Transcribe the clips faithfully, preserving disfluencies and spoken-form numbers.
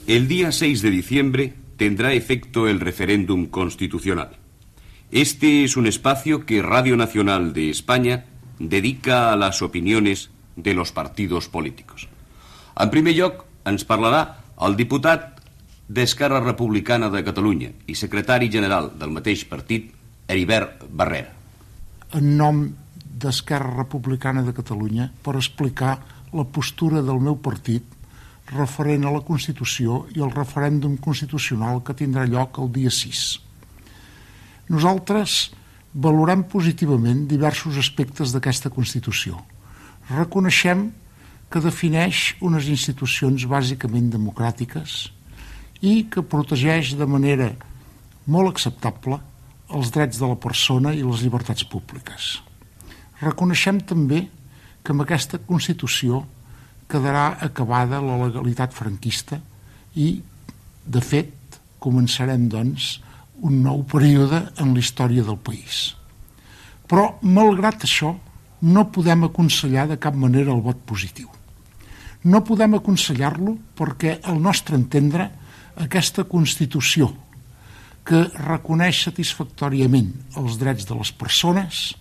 El día seis de diciembre tendrá efecto el referéndum constitucional. Este es un espacio que Radio Nacional de España dedica a les opinions de los partidos políticos. En primer lloc, ens parlarà el diputat d'Esquerra Republicana de Catalunya i secretari general del mateix partit, Heribert Barrera. En nom d'Esquerra Republicana de Catalunya, per explicar la postura del meu partit referent a la Constitució i al referèndum constitucional que tindrà lloc el dia sis. Nosaltres valorem positivament diversos aspectes d'aquesta Constitució. Reconeixem que defineix unes institucions bàsicament democràtiques i que protegeix de manera molt acceptable els drets de la persona i les llibertats públiques. Reconeixem també que amb aquesta Constitució quedarà acabada la legalitat franquista i, de fet, començarem, doncs, un nou període en la història del país. Però, malgrat això, no podem aconsellar de cap manera el vot positiu. No podem aconsellar-lo perquè, al nostre entendre, aquesta Constitució, que reconeix satisfactòriament els drets de les persones,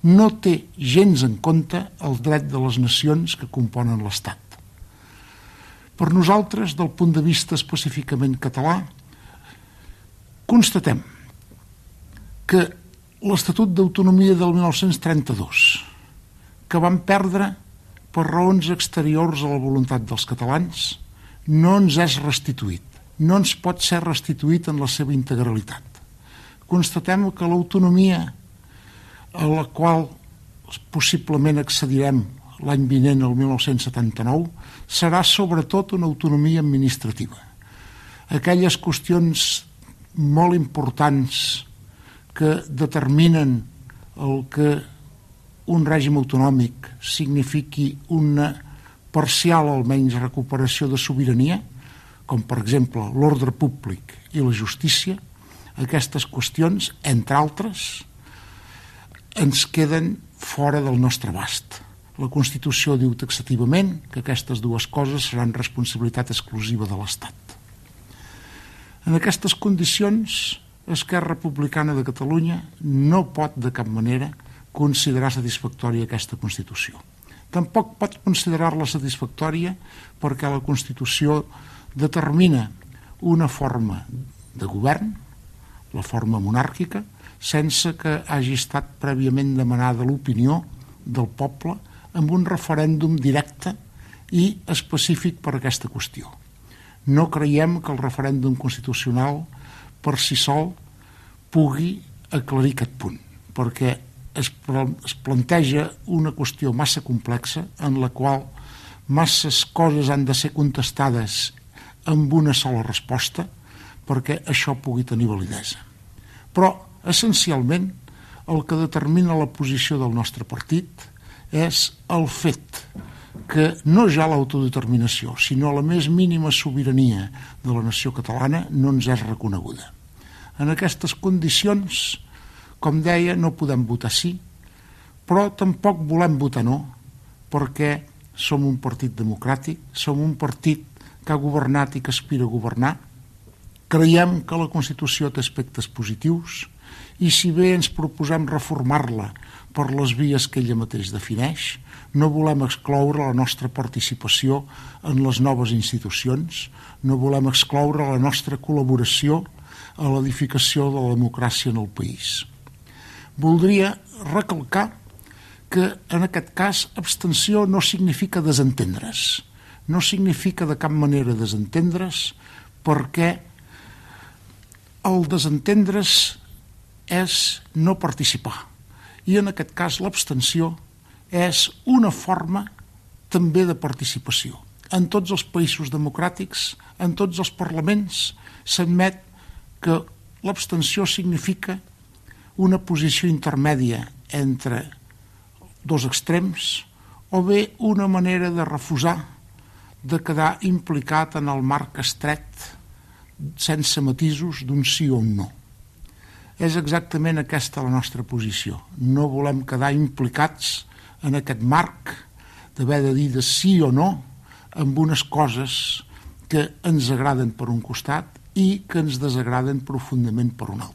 no té gens en compte el dret de les nacions que componen l'Estat. Per nosaltres, del punt de vista específicament català, constatem que l'Estatut d'Autonomia del mil nou-cents trenta-dos, que vam perdre per raons exteriors a la voluntat dels catalans, no ens és restituït, no ens pot ser restituït en la seva integralitat. Constatem que l'autonomia a la qual possiblement accedirem l'any vinent, el mil nou-cents setanta-nou, serà sobretot una autonomia administrativa. Aquelles qüestions molt importants que determinen el que un règim autonòmic signifiqui una parcial, almenys, recuperació de sobirania, com per exemple l'ordre públic i la justícia, aquestes qüestions, entre altres, ens queden fora del nostre abast. La Constitució diu taxativament que aquestes dues coses seran responsabilitat exclusiva de l'Estat. En aquestes condicions, Esquerra Republicana de Catalunya no pot de cap manera considerar satisfactòria aquesta Constitució. Tampoc pot considerar-la satisfactòria perquè la Constitució determina una forma de govern, la forma monàrquica, sense que hagi estat prèviament demanada l'opinió del poble amb un referèndum directe i específic per a aquesta qüestió. No creiem que el referèndum constitucional per si sol pugui aclarir aquest punt, perquè es, es planteja una qüestió massa complexa en la qual masses coses han de ser contestades amb una sola resposta perquè això pugui tenir validesa. Però, essencialment, el que determina la posició del nostre partit és el fet que no ja l'autodeterminació, sinó la més mínima sobirania de la nació catalana no ens és reconeguda. En aquestes condicions, com deia, no podem votar sí, però tampoc volem votar no, perquè som un partit democràtic, som un partit que ha governat i que aspira a governar. Creiem que la Constitució té aspectes positius i si bé ens proposem reformar-la per les vies que ella mateix defineix, no volem excloure la nostra participació en les noves institucions, no volem excloure la nostra col·laboració a l'edificació de la democràcia en el país. Voldria recalcar que en aquest cas abstenció no significa desentendre's, no significa de cap manera desentendre's perquè el desentendre's és no participar i en aquest cas l'abstenció és una forma també de participació. En tots els països democràtics, en tots els parlaments, s'admet que l'abstenció significa una posició intermèdia entre dos extrems o bé una manera de refusar de quedar implicat en el marc estret sense matisos d'un sí o un no. És exactament aquesta la nostra posició. No volem quedar implicats en aquest marc d'haver de dir de sí o no amb unes coses que ens agraden per un costat i que ens desagraden profundament per un altre.